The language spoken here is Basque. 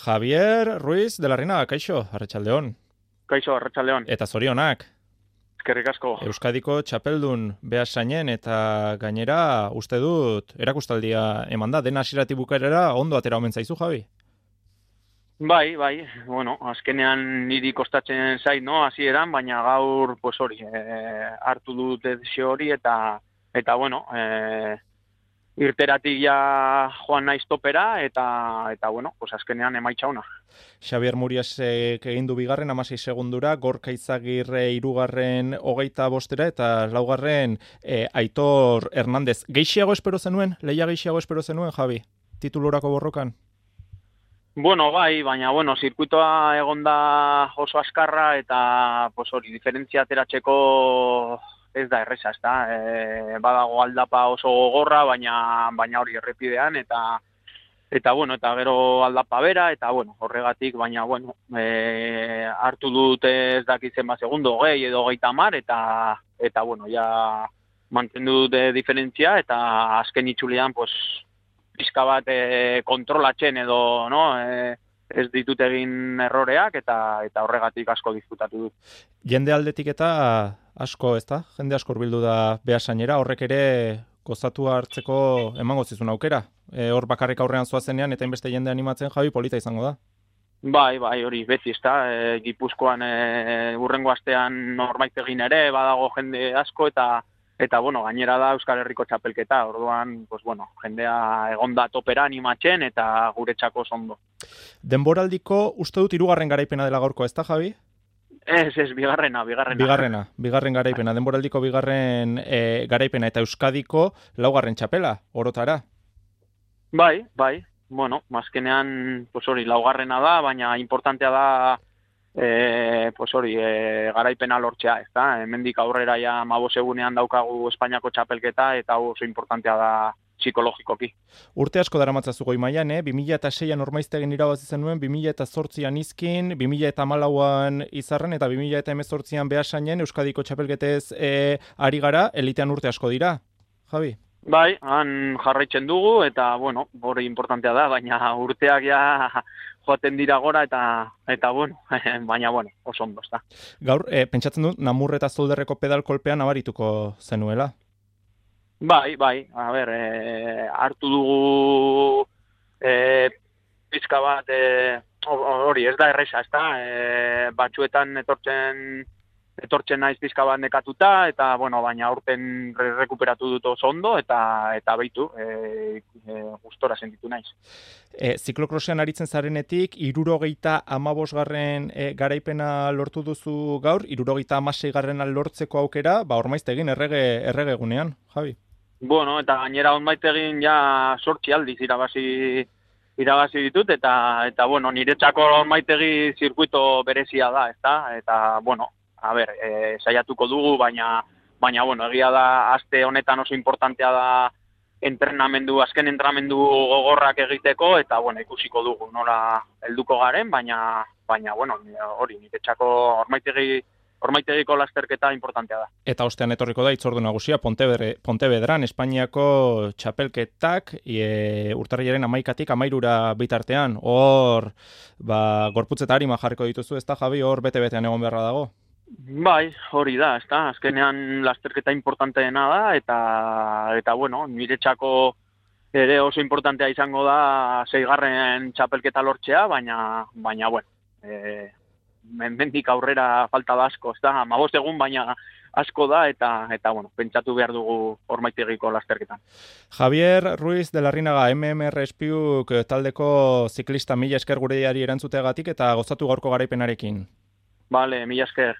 Javier Ruiz de la Reina, kaixo, arratsaldeon. Kaixo, arratsaldeon. Eta zorionak. Eskerrik asko. Euskadiko txapeldun behasainen eta gainera uste dut erakustaldia eman da, dena hasieratik bukaerara ondo atera omen zaizu, Javi? Bai, bueno, azkenean niri kostatzen zait, no, hasieran, baina gaur, pues hori, hartu dut desio hori eta bueno, irteratik ja joan naiz topera eta bueno, pues azkenean emaitza ona. Xabier Muriasek egin du bigarren 16 segundura, Gorka Izagirre hirugarren 25 eta laugarren Aitor Hernandez. Geixiago espero zenuen? Lehia geixiago espero zenuen, Javi? Titulurako borrokan? Bueno, bai, baina bueno, zirkuitoa egonda oso azkarra eta pues hori, diferentzia ateratzeko ez da erresa, ezta? Badago aldapa oso gogorra, baina hori errepidean eta bueno, eta gero aldapa bera eta bueno, horregatik, baina bueno, hartu dute ez dakitzen segundo, 20 edo 30 eta bueno, ja mantendu dute diferentzia eta azken itzulean pues pizka bat kontrolatzen edo, no, ez ditut egin erroreak eta horregatik asko disfrutatu dut. Jende aldetik eta asko, ezta? Jende asko hurbildu da behasainera, horrek ere gozatu hartzeko emango zizun aukera. Hor bakarrik aurrean zoazenean eta inbeste jende animatzen, Javi, polita izango da. Bai, hori beti, ezta? Gipuzkoan hurrengo astean Normaitegin ere badago jende asko eta bueno, gainera da Euskal Herriko txapelketa, orduan, pues bueno, jendea egonda topera animatzen eta guretzako ondo. Denboraldiko uste dut 3. garaipena dela gaurko, ezta, Javi? Ez, bigarrena. Bigarren garaipena, denboraldiko bigarren garaipena eta Euskadiko 4. txapela, orotara. Bai, bueno, azkenean, pues hori, 4. da, baina importantea da pues hori, garaipena lortzea, ezta? Hemendik aurrera ja 15 egunean daukagu Espainiako txapelketa eta oso importantea da psikologikoki. Urte asko daramatzazu goi mailan, 2006an Ormaiztegin irabazi zenuen, 2008an Izkin, 2014an Izarren eta 2018an Beasainen Euskadiko txapelketez ari gara, elitean urte asko dira, Javi? Bai, han jarraitzen dugu eta bueno, hori importantea da, baina urteak ja joaten dira gora eta bueno, baina bueno, oso ondo, ezta. Gaur, pentsatzen dut, Namur eta Zolderreko pedal kolpean abarituko zenuela? Bai, a ber, hartu dugu pizka bat, hori, ez da erresa, ezta, batzuetan etortzen naiz pizka bat nekatuta, eta, bueno, baina aurten rekuperatu dut oso ondo, eta beitu, gustora sentitu naiz. Ziklokrosean aritzen zarenetik, 75. Garaipena lortu duzu gaur, 76. lortzeko aukera, Ormaiztegin errege egunean, Javi? Bueno, eta gainera Ormaiztegin ja 8 aldiz irabazi ditut, eta bueno, niretzako Ormaiztegi zirkuito berezia da, ezta? Eta, bueno, a ber, saiatuko dugu, baina bueno, egia da, aste honetan oso importantea da azken entrenamendu gogorrak egiteko, eta bueno, ikusiko dugu nola helduko garen, baina bueno, hori, niretzako Ormaitegiko lasterketa importantea da. Eta ostean etorriko da hitzordu nagusia Pontevedran, Espainiako txapelketak, urtarrilaren 11tik 13 bitartean, hor, gorputz eta arima jarriko dituzu, ezta, Javi, hor bete-betean egon beharra dago? Bai, hori da, ezta, azkenean lasterketa importanteena da, eta bueno, niretzako ere oso importantea izango da 6. txapelketa lortzea, baina bueno, mendik aurrera falta da asko, ezta, 15 egun baina asko da, eta bueno, pentsatu behar dugu Ormaitegiko lasterketan. Javier Ruiz de la Reina, MMR Espiuk taldeko ziklista, mila esker gure diari erantzuteagatik eta gozatu gaurko garaipenarekin. Vale, mila esker.